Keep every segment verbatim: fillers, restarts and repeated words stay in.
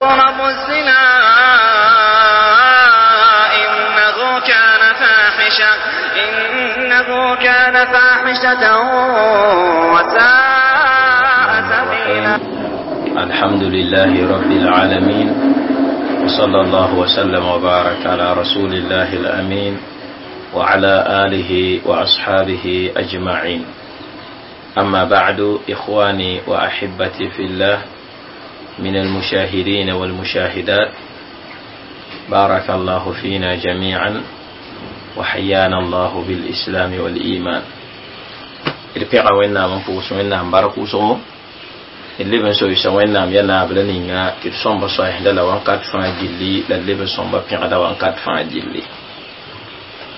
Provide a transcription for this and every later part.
تقربوا الزنا إنه كان فاحشة إنه كان فاحشة وساء سبيلا. الحمد لله رب العالمين، وصلى الله وسلم وبارك على رسول الله الأمين وعلى آله وأصحابه أجمعين. أما بعد، إخواني وأحبتي في الله من المشاهدين والمشاهدات، بارك الله فينا جميعا وحيانا الله بالإسلام والإيمان. D pẽga Wẽnnaam n pʋʋs Wẽnnaam bark wʋsgo, d leb n soysa Wẽnnaam ya naabra ninga tɩ d sõmba soɛsda la wãnkat fãa gilli, la d leb n sõmba pẽgda wãnkat fãa gilli.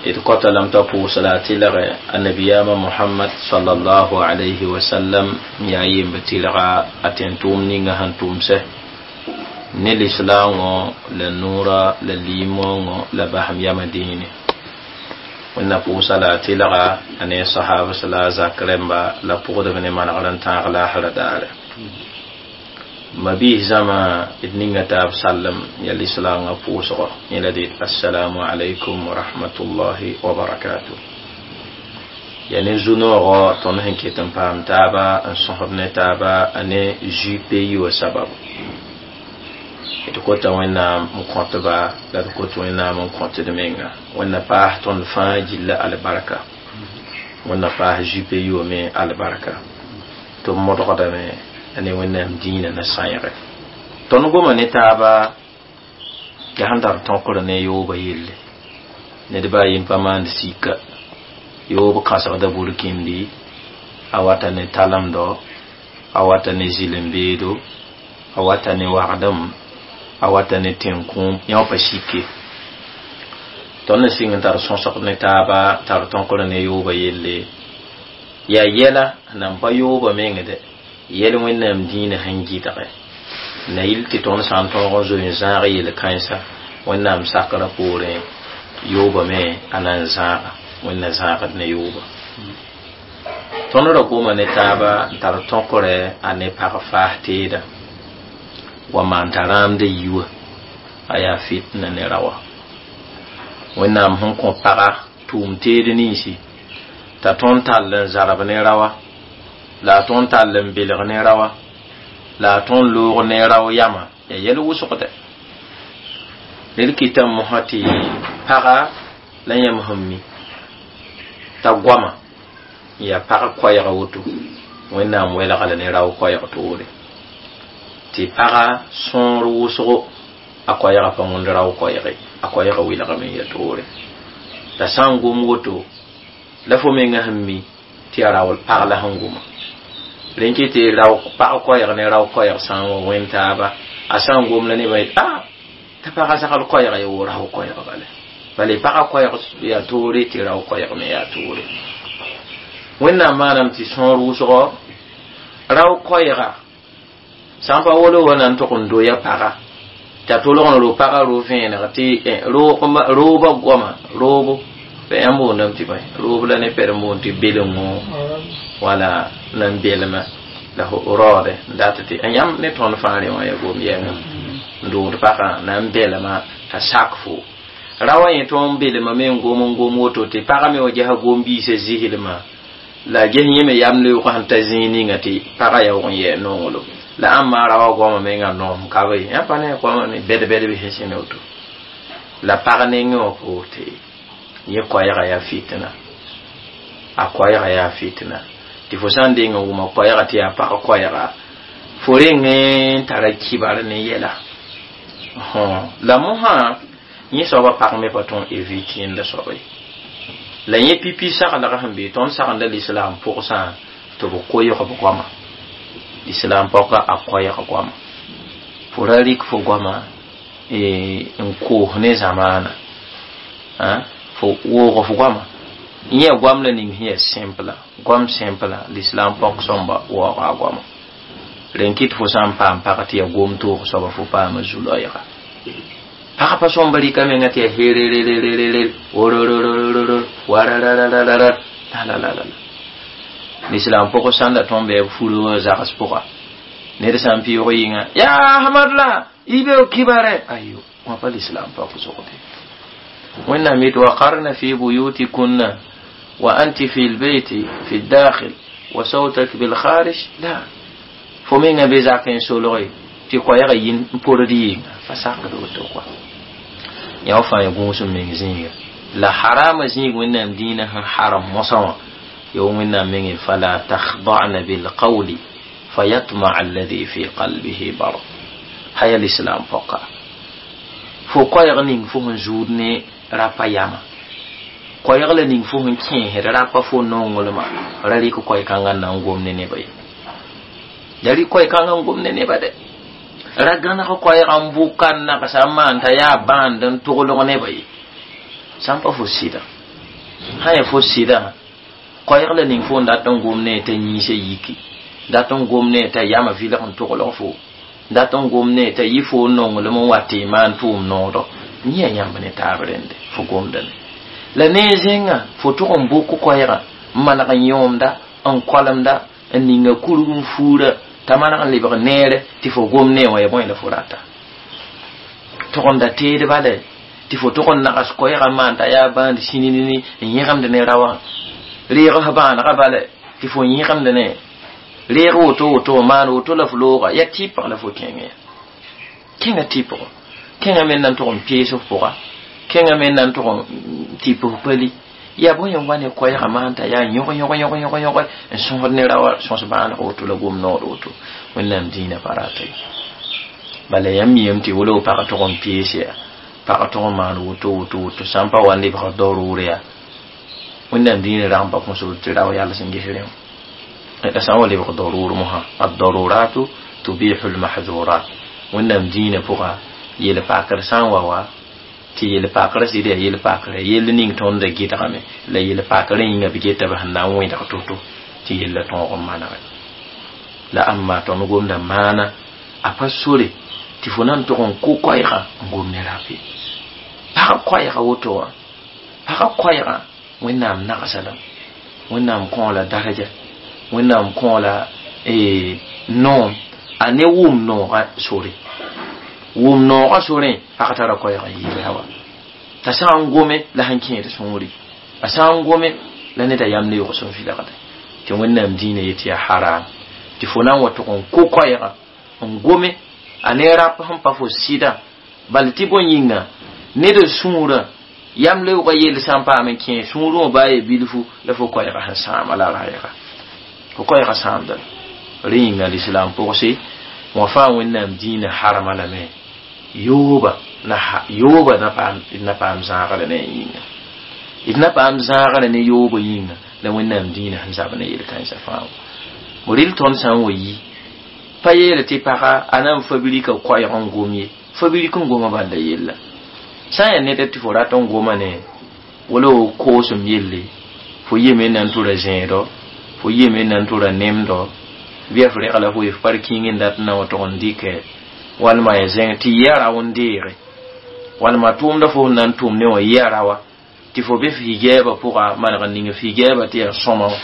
D kota lame t'a pʋʋs la a tɩlge annabiyaama Mohamad sallallahu alayhi wa sallam, n yaa yemb tɩlga a tẽn-tʋʋm ninga sẽn tʋmsɛ ne lislaangõ la noora la liimoongõ la basem yamã dĩine. Wẽnna pʋʋsa la a tɩlga a ne a sahabs la a zak rẽmba la pʋgdb ne manegr n tãag laasra daare. Mabiis zãma, d ninga taab sallem ya lislaangã pʋʋsgɔ, yẽ la dɩ assalamu alaikum wa rahmatullahi wa barakatuh. Ya ne zu-noogɔ tõnd sẽn ket n paam taaba n sõsd ne taaba a ne J P I wã sababu. D kota Wẽnnaam n kõtba la d kot Wẽnnaam n kõt d menga. Wẽnna paas tõnd fãa gilla albarka, Wẽnna paas J P I wã me albarka tɩ b modgdame a ne Wẽnnaam dĩinã na sãeege. Tõnd goma ne taaba yaa sẽn tar tõkr ne yooba yelle. Ned baa yem pa maand sika yoob kãsegda burkindi, a wata ne talemdɔ, a wata ne zɩlem-beedo, a wata ne wagdem, a wata ne tẽn-kũum, yã pa sike. Tõnd n sɩng n tar sõsg ne taaba tar tõkr ne yooba yelle, yaa yɛla nan pa yooba meng dɛ yɛl Wẽnnaam dĩinã sẽn gɩdge na yɩl tɩ tõnd sã n tõog n zoe n zãag yel-kãensa Wẽnnaam sakrã poorẽ, yooba me a na n zãaga, Wẽnna zãagd ne yooba. Tõnd ra goma ne taaba n tar tõkrɛ a ne pag faas teeda wa maan t'a rãamda yi wã a yaa fitna ne raoã. Wẽnnaam sẽn kõ paga tʋʋm teed ninsi t'a tõnd tall n zarb ne raoã, la a tõnd tall n belg ne raoã, la a tõnd loog ne rao yama, yaa yɛl wʋsgdɛ. Ned kɩtame mosã tɩ paga la yãmb sẽn mi t'a goama n yaa pag koɛɛga woto, Wẽnnaam welga la ne rao koɛɛg toore tɩ paga sõor wʋsgo, a koɛɛga pa wõnd rao koɛɛge, a koɛɛga welgame n ya toore. La sã n gom woto la fo menga sẽn mi tɩ yaa rao pag la sẽn goma. Rẽn kɩ tɩ rao pag koɛɛg ne rao koɛɛg sã n wa wẽn taaba, a sã n gom la nebã yet a t'a pagã zagl koɛɛga ya wo rao koɛɛg bala bala pagã koɛɛg yaa toore tɩ rao koɛɛg me yaa toore. Wẽnnaam maanam tɩ sõor wʋsgɔ rao koɛɛga sã n pa wolo wa na n tʋg n doya paga t'a tolg n ro paga ro vẽeneg tɩ rooba goama roobo yãmb boondame tɩ bõe roob la ne pɛd n boond tɩ belengo wala nan belma la raoode n dat tɩ yãmb ne tõnd fãa rẽ wã ya gom yɛngã n doogd pagã na n belma t'a sak fo ra wa yẽ tõnd belma me n gom n gom woto tɩ pagã me wa gesa gom-biisã zislmã la ges yẽ me yam leoog sẽn ta zĩig ninga tɩ pagã yaoog n yɛɛ nonglem la ãmba ra wa goamã menga noom ka be yã pa ne goamã ne bɛd-bɛd sẽn sẽne woto la pag nengẽ wã poor tɩ yẽ koɛɛga yaa fitna, a koɛɛga yaa fitna tɩ fo sã n deng n wʋma koɛɛga tɩ yaa pag koɛɛga, fo reng n tara kibar ne yɛla la mosã yẽ soaba pag me pa tõn évite yẽnda soaba ye. La yẽ pipi saglg sẽn be tõnd sagenda lislaam pʋgsã tɩ b koɩg b goama, islam pɔka a koɛɛg goama, fo ra rɩk fo goama n koos ne zamaana, fo woog f goama yẽ goam la ning sẽn yaa simple, goam simple. L'islam pɔk sõmba waooga a goama rẽn kɩt fo sã n paam pag tɩ yaa gom toog soaba, fo paama zu-loɛɛga. Pag pa sõmba rɩka menga tɩ yaa hererererere worororororo wararararara la la la la. L'islam pʋgẽ sãn da tõnd bɩ b furu wã zags pʋga Ned sã n pɩʋg yĩnga yaa Hamad la y be kibare ayo wã pa lislaam pa pʋsgde. Wẽnnaam yet waqarna fi buyutikunna wa anti fi lbeyti fi dakhil wa sawtak bilkharij la fo menga be zak n solge tɩ koɛɛgã yin n pord yɩnga pa sakd woto kɔa yã fãa ya gũus n meng zĩiga la harama zĩig Wẽnnaam dĩinã sẽn haram mosã wã ya Wẽnnaam menge fala takhda'na bilqawli fayatma'a alladhi fi qalbihi marad haya l'islam pɔka fo koɛɛg ning fo sẽn zuud ne rapa yama koɛɛg la ning fo sẽn kẽesd rapa fo nonglmã ra rɩk koɛ-kãngã n na n gom ne nebã ye ya rɩk koɛ-kãngã n gom ne nebã dɛ ra gãneg koɛɛgã n bʋka n nagsa n maan t'a yaa bãand n toglg nebã ye sã n pa fo sɩda sã ya fo sɩda koɛɛg la ning fo n dat n gom ne t'a yĩnsã yiki dat n gom ne t'a yama vɩlg n toglg fo dat n gom ne t'a yɩ fo n nonglem n wa tɩ y maan tʋʋm noodɔ yẽ yãmb ne taab rẽnde fo gomdame la ne zẽnga fo tʋg n bʋk koɛɛgã n maneg n yõomda n koalemda n ninga kurg n fuura t'a maneg n lebg neere tɩ fo gom ne wã ya bõe la fo rata tʋgemda teedba lɛ tɩ fo tʋg n nags koɛɛgã maan t'a yaa bãand sĩninini n yẽgemd ne raowã reegs bãanegã bala tɩ fo yẽgemd ne reeg woto woto maan woto la f looga ya tɩpg la fo kẽngẽ ya kẽngã tɩpg kẽngã me na n tʋg n pees f pʋga kẽngã me na n tʋg n tɩp f pali ya bõe n wa ne koɛɛgã maan t'a yaa yõg yõg yõg yõg yõg n sõsd ne raoã sõs bãaneg woto la gom nood woto Wẽnnaam dĩinã pa rata ye bala yãmb miame tɩ wala pag tʋg n pees ya pag tʋg n maan woto woto woto sã n pa wa n lebg daroor ya Wẽnnaam dĩinã rag n pa kõsd tɩ rao yals n ges rẽ la sã n wa lebg daroor mosã addaruratu tubihu lmahdurat Wẽnnaam dĩinã pʋga yel-pakr sã n wa wa tɩ yel-pakr sɩd yaa yel-pakrã yell ning tõnd da gɩdgame la yel-pakrã yĩnga b geta b sẽn na n wẽdg to-to tɩ yella tõog n manege la ãmba tõnd gomda maana a pa sore tɩ fo na n tʋg n kʋ koɛɛgã n gom ne rap ye pag koɛɛga woto wã pagã koɛɛgã Wẽnnaam nagsa lame Wẽnnaam kõ la daraja Wẽnnaam kõ la noom a ne wʋm noogã sore wʋm noogã sorẽ pag tara koɛɛg n yɩɩda wa t'a sã n gome la sẽn kẽed sũuri a sã n gome la neda yam ne yogs n vɩlgde tɩ Wẽnnaam dĩinã yet yaa haram tɩ fo na n wa tʋg n kʋ koɛɛgã n gome a ne rap sẽn pa fo sɩdã bal tɩ bõe yĩnga ned sũurã yam leoogã yell sã n paam n kẽ sũurẽ wã baa ye bilfu la fo koɛɛgã sẽn sãama la raɛɛga fo koɛɛgã sãamda rẽ yĩnga lislaam pʋgse wã fãa Wẽnnaam dĩinã harama lame yooba na yooba na paam na paam zãagre ne yĩnga d na paam zãagre ne yooba yĩnga la Wẽnnaam dĩinã sẽn zab ne yel-kãensã fãa wã rɩl tõnd sã n wa yi pa yeele tɩ paga a na n fabrika koɛɛg n gom ye fabrik n goma bala yella sã n yaa ned tɩ fo rat n goma ne wala f koosem yelle fo yeme na n tʋra zẽedɔ fo yeme na n tʋra nemdɔ bɩ f regla fo ye f par kĩng n dat n na wa tʋg n dɩkɛ walma ya zẽng tɩ yɩ a rao n deege walma tʋʋmda fo sẽn na n tʋm ne wã yɩ a raoa tɩ fo be f higɛɛbã pʋga maneg n ning f higɛɛbã tɩ yaa sõma wã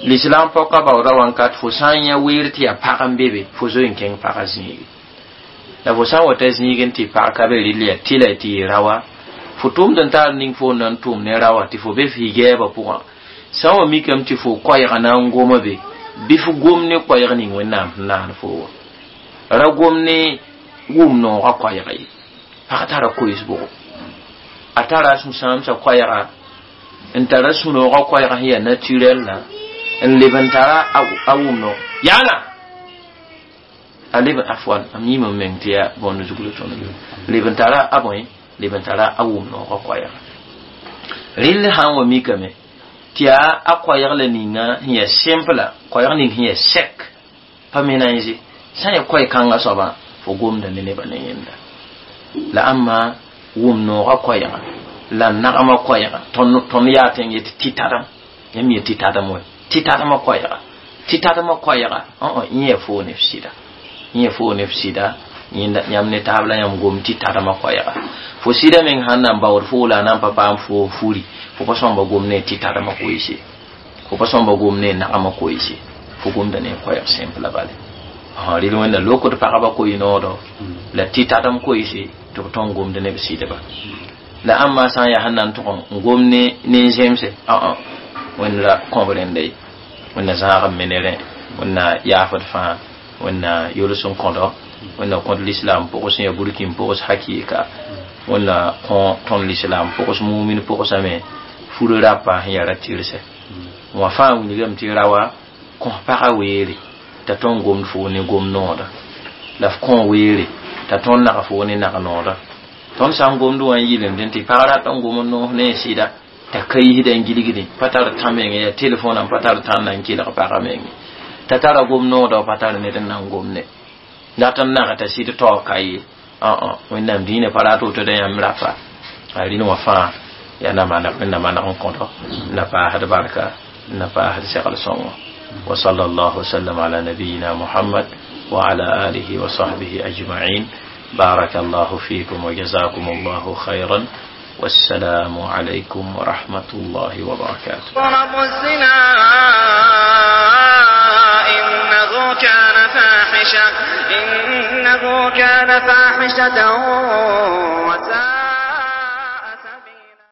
l'islam pɔka baooda wãnkat fo sã n yã weer tɩ yaa pag n be be fo zoe n kẽng pagã zĩige la fo sã n wa ta zĩig n tɩ pag ka be rɩl yaa tɩla tɩ yɩ raoa fo tʋmd n taar ning fo n na n tʋm ne raoa tɩ fo be f higɛɛbã pʋgã sã n wa mikame tɩ fo koɛɛgã na n goma be bɩ f gom ne koɛɛg ning Wẽnnaam sẽn naan fo wã ra gom ne wʋm noogã koɛɛga ye pag tara koees-bʋgo a tara sũ-sãamsã koɛɛga n tara sũ-noogã koɛɛga sẽn yaa naturel la n leb n tara a wʋm noog yaana a leb afwan am yĩm n meng tɩ yaa bõnd zugl tõnd leb n tara a bõe leb n tara a wʋm noogã koɛɛga rɩll sã n wa mikame tɩ yaa a koɛɛg la ninga sẽn yaa simple koɛɛg ning sẽn yaa sɛk pa mélange sã n yaa koɛɛ-kãngã soabã fo gomda ne nebã ne yẽnda la ãmba wʋm noogã koɛɛga la nagmã koɛɛga tõnd yaa tɩ n yet tɩ tadem yãmb yet tɩ tadem wɛ tɩ tadmã koɛɛga tɩ tadmã koɛɛga yẽ yaa foo ne f sɩda yẽ yaa foo ne f sɩda yãmb ne taab la yãmb gom tɩ tadmã koɛɛga fo sɩda meng sãn na n baood foo la a na n pa paam fo furi fo pa sõmba gom ne tɩ tadmã koeese fo pa sõmba gom ne nagmã koeese fo gomda ne koɛɛg simple bale. Rɩl wẽnna lokd pagba koe-noodɔ la tɩ tatem koeese tɩ b tõnd gomd ne b sɩdba la ãmba sã n yaa sẽn na n tʋg n gom ne nen-zemse ã wẽnd ra kõb rẽnda ye wẽnna zãag n me ne rẽ wẽnna yaafd fãa wẽnna yols n kõdo wẽnna kõd lislaam pʋgs sẽn ya burkin pʋgs hakɩɩka wẽnna kõ tõnd lislaam pʋgs mumin pʋgsame fur rapa sẽn yaa ra tɩrsɛ wã fãa wilgame tɩ rawa kõs pagã weere t'a tõnd gomd foo ne gom nooda la f kõ weere t'a tõnd nag foo ne nag nooda tõnd sã n gomd wã n yɩlemdẽ tɩ pag rat n gom n noos ne sɩda t'a ka yisda n gilgdẽ pa tar tã menge yaa telefõnã pa tar tãnda n kelg pagã menge t'a tara gom nooda pa tar ned n na n gomde dat n naga t'a sɩd taoog ka ye wẽnnaam dĩinã pa rat woto da yãmb rapa a rɩl wã fãa yaa na maneg wẽnna maneg n kõdo na paasd barka na paasd segl sõngo وصلى الله وسلم على نبينا محمد وعلى آله وصحبه أجمعين. بارك الله فيكم وجزاكم الله خيرا، والسلام عليكم ورحمة الله وبركاته. ضرب الزنا إنه كان فاحشة إنه كان فاحشة وساء